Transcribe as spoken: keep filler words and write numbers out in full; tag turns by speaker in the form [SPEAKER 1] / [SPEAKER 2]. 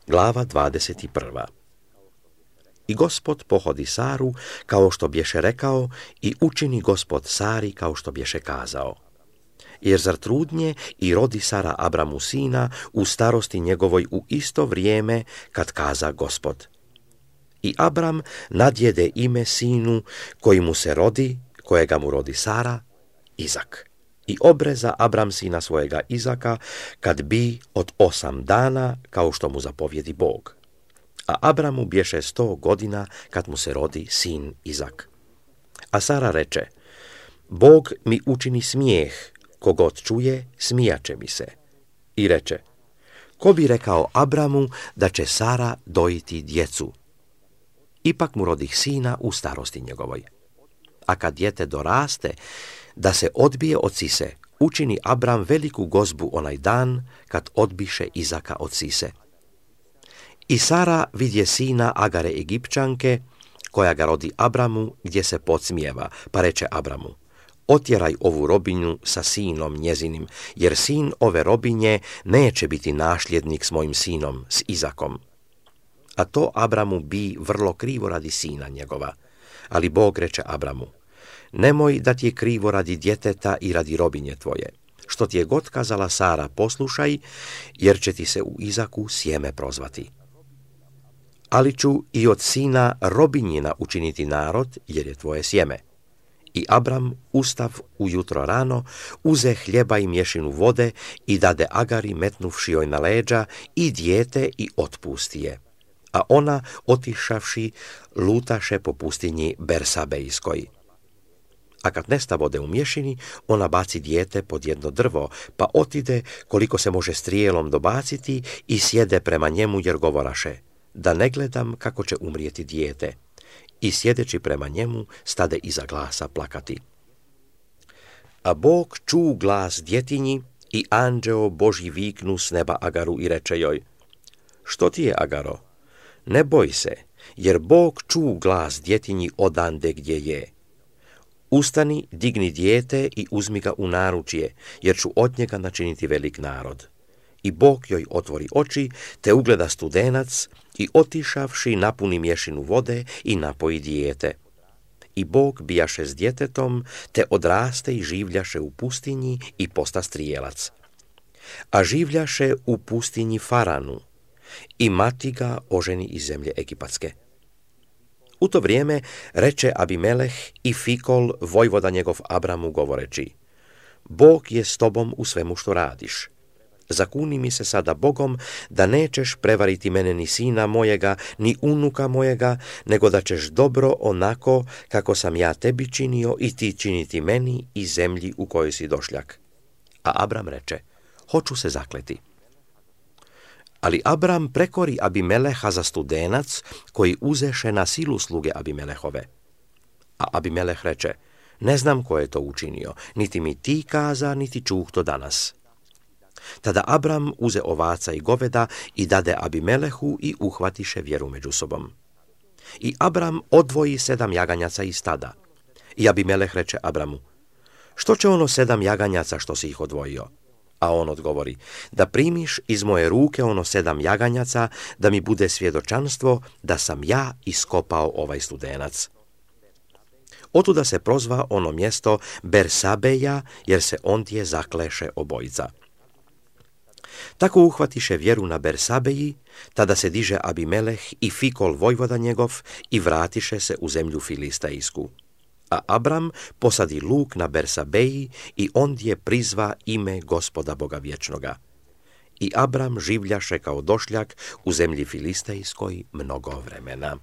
[SPEAKER 1] Glava dvadeset prva. I Gospod pohodi Saru kao što bješe rekao i učini Gospod Sari kao što bješe kazao. Jer zar trudnje i rodi Sara Abramu sina u starosti njegovoj u isto vrijeme kad kaza Gospod. I Abram nadjede ime sinu koji mu se rodi, kojega mu rodi Sara, Izak. I obreza Abram sina svojega Izaka kad bi od osam dana, kao što mu zapovjedi Bog. A Abramu bješe sto godina kad mu se rodi sin Izak. A Sara reče, Bog mi učini smijeh, kogod čuje, smijaće mi se. I reče, ko bi rekao Abramu da će Sara dojiti djecu? Ipak mu rodih sina u starosti njegovoj. A kad dijete doraste, da se odbije od sise, učini Abram veliku gozbu onaj dan kad odbiše Izaka od sise. I Sara vidje sina Agare Egipćanke, koja ga rodi Abramu, gdje se podsmijeva, pa reče Abramu, otjeraj ovu robinju sa sinom njezinim, jer sin ove robinje neće biti nasljednik s mojim sinom, s Izakom. A to Abramu bi vrlo krivo radi sina njegova. Ali Bog reče Abramu, nemoj da ti je krivo radi djeteta i radi robinje tvoje. Što ti je god kazala Sara, poslušaj, jer će ti se u Izaku sjeme prozvati. Ali ću i od sina robinjina učiniti narod, jer je tvoje sjeme. I Abram ustav ujutro rano, uze hljeba i mješinu vode i dade Agari metnuvši joj na leđa i dijete i otpusti je. A ona, otišavši, lutaše po pustinji Bersabejskoj. A kad nesta vode u mješini, ona baci dijete pod jedno drvo, pa otide koliko se može strijelom dobaciti i sjede prema njemu jer govoraše, da ne gledam kako će umrijeti dijete. I sjedeći prema njemu, stade iza glasa plakati. A Bog ču glas djetinji i anđeo Božji viknu s neba Agaru i reče joj, što ti je, Agaro? Ne boj se, jer Bog ču glas djetinji odande gdje je. Ustani, digni dijete i uzmi ga u naručje, jer ću od njega načiniti velik narod. I Bog joj otvori oči, te ugleda studenac i otišavši napuni mješinu vode i napoji dijete. I Bog bijaše s djetetom, te odraste i življaše u pustinji i posta strijelac. A življaše u pustinji Faranu i mati ga oženi iz zemlje Egipatske. U to vrijeme reče Abimeleh i Fikol, vojvoda njegov Abramu, govoreći, Bog je s tobom u svemu što radiš. Zakuni mi se sada Bogom da nećeš prevariti mene ni sina mojega, ni unuka mojega, nego da ćeš dobro onako kako sam ja tebi činio i ti činiti meni i zemlji u kojoj si došljak. A Abram reče, hoću se zakleti. Ali Abram prekori Abimeleha za studenac koji uzeše na silu sluge Abimelehove. A Abimeleh reče, ne znam ko je to učinio, niti mi ti kaza, niti čuh to danas. Tada Abram uze ovaca i goveda i dade Abimelehu i uhvatiše vjeru među sobom. I Abram odvoji sedam jaganjaca iz stada. I Abimeleh reče Abramu, što će ono sedam jaganjaca što si ih odvojio? A on odgovori, da primiš iz moje ruke ono sedam jaganjaca, da mi bude svjedočanstvo da sam ja iskopao ovaj studenac. Otuda se prozva ono mjesto Bersabeja, jer se ondje zakleše obojica. Tako uhvatiše vjeru na Bersabeji, tada se diže Abimeleh i Fikol vojvoda njegov i vratiše se u zemlju Filistejsku. A Abram posadi luk na Bersabeji i ondje prizva ime Gospoda Boga vječnoga. I Abram življaše kao došljak u zemlji Filistejskoj mnogo vremena.